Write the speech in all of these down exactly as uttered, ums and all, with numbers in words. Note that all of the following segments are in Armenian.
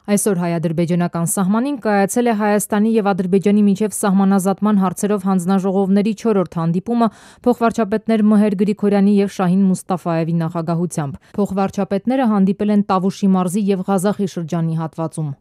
Այսօր հայ-ադրբեջանական սահմանին կայացել է Հայաստանի և Ադրբեջանի միջև սահմանազատման հարցերով հանձնաժողովների չորրորդ հանդիպումը փոխվարչապետներ Մհեր Գրիգորյանի և Շահին Մուստաֆաևի նախագահությամբ։ Փոխվարչապետները հանդիպել են Տավուշի մարզի և Ղազախի շրջանի հատվածում։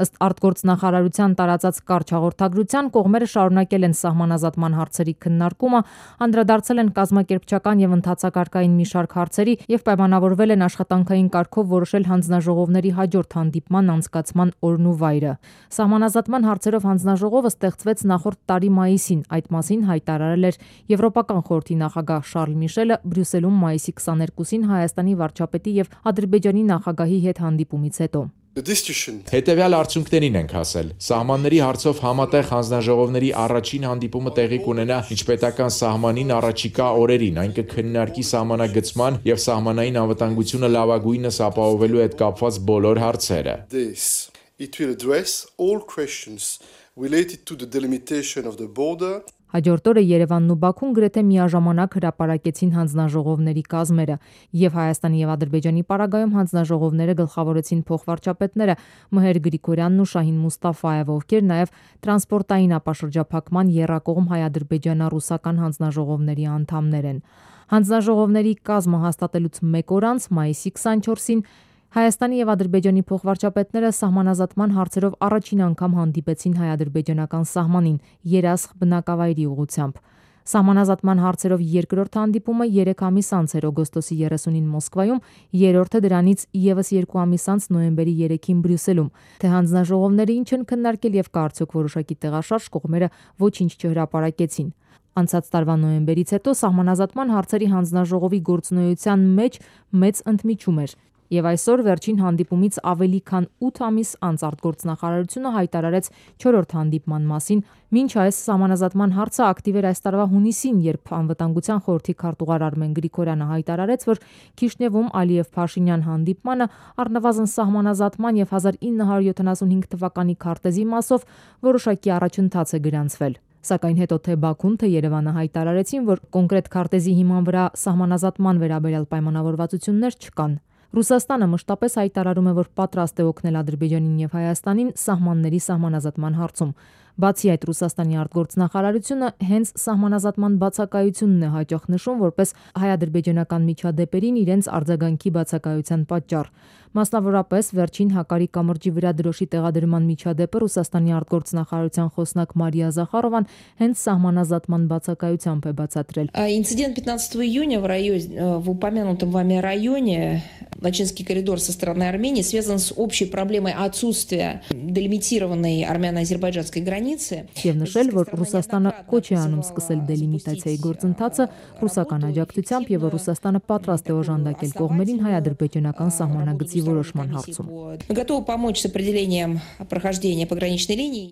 Ըստ արտգործնախարարության տարածած կարճ հաղորդագրության կողմերը շարունակել են սահմանազատման հարցերի քննարկումը, անդրադարձել են կազմակերպչական և ընթացակարգային մի շարք հարցերի և պայմանավորվել են աշխատանքային կարգով որոշել հանձնաժողովների հաջորդ հանդիպման անցկացման օրն ու վայրը։ Սահմանազատման հարցերով հանձնաժողովը ստեղծվեց նախորդ տարի մայիսին, այդ մասին հայտարարել էր Եվրոպական խորհրդի նախագահ Շարլ Միշելը Բրյուսելում մայիսի քսաներկուսին Հայաստանի վարչապետի և Ադրբեջանի նախագահի հետ հանդիպումից հետո։ Հետևյալ արդյունքներին ենք հասել։ Սահմանների հարցով համատեղ հանձնաժողովների առաջին հանդիպումը տեղի կունենա միջպետական սահմանին առաջիկա օրերին, այն կքննարկի սահմանագծման և սահմանային անվտանգությունը լավագույնս ապահովելու հետ կապված բոլոր հարցերը։ Հաջորդ օրը Երևանն ու Բաքուն գրեթե միաժամանակ հրապարակեցին հանձնաժողովների կազմերը, և Հայաստանի և Ադրբեջանի պարագայում հանձնաժողովները գլխավորեցին փոխվարչապետները Մհեր Գրիգորյանն ու Շահին Մուստաֆաևը, ովքեր նաև տրանսպորտային ապաշրջափակման եռակողմ հայ-ադրբեջանա-ռուսական հանձնաժողովների անդամներ են։ Հանձնաժողովների կազմը հաստատելուց մեկ օր անց, մայիսի քսանչորսին, Հայաստանի և Ադրբեջանի փոխվարչապետները սահմանազատման հարցերով առաջին անգամ հանդիպեցին հայ-ադրբեջանական սահմանին Երասխ բնակավայրի ուղղությամբ։ Սահմանազատման հարցերով երկրորդ հանդիպումը երեք ամիս անց էր օգոստոսի երեսունին Մոսկվայում, երրորդը դրանից ևս երկու ամիս անց նոյեմբերի երեքին Բրյուսելում։ Թե հանձնաժողովները ինչ են քննարկել և կա արդյոք որոշակի տեղաշարժ, կողմերը ոչինչ չհրապարակեցին։ Անցած տարվա նոյեմբերից հետո սահմանազատման հարցերի հանձնաժողովի գործունեության մեջ մեծ ընդմիջում էր, և այսօր վերջին հանդիպումից ավելի քան ութ ամիս անց արտգործնախարարությունը հայտարարեց չորրորդ հանդիպման մասին, մինչ այս սահմանազատման հարցը ակտիվ էր այս տարվա հունիսին, երբ Անվտանգության խորհրդի քարտուղար Արմեն Գրիգորյանը հայտարարեց, որ Քիշնևում Ալիև-Փաշինյան հանդիպմանը առնվազն սահմանազատման և հազար ինը հարյուր յոթանասունհինգ թվականի քարտեզի մասով որոշակի առաջընթաց է գրանցվել։ Սակայն հետո թե Բաքուն, թե Երևանը հայտարարեցին, որ կոնկրետ քարտեզի հիման վրա սահմանազատման վերաբերյալ պայմանավորվածություններ չկան։ Ռուսաստանը մշտապես հայտարարում է, որ պատրաստ է օգնել Ադրբեջանին և Հայաստանին սահմանների սահմանազատման հարցում։ Բացի այդ, Ռուսաստանի արտգործնախարարությունը հենց սահմանազատման բացակայությունն է հաճախ նշում որպես հայ-ադրբեջանական միջադեպերին իրենց արձագանքի բացակայության պատճառ։ Մասնավորապես, վերջին Հակարի կամրջի վրա դրոշի տեղադրման միջադեպը Ռուսաստանի արտգործնախարարության խոսնակ Մարիա Զախարովան հենց սահմանազատման բացակայությամբ է բացատրել։ Инцидент пятнадцатого июня в районе, в упомянутом вами районе, Лачинский коридор со стороны Армении, связан с общей проблемой отсутствия делимитированной армяно-азербайджанской границы. Եվ նշել, որ Ռուսաստանը կոչ է անում սկսել դելիմիտացիայի գործընթացը ռուսական աջակցությամբ և որ Ռուսաստանը պատրաստ է օժանդակել կողմերին հայ-ադրբեջանական սահմանագծի որոշման հարցում։ Готовы помочь с определением прохождения пограничной линии.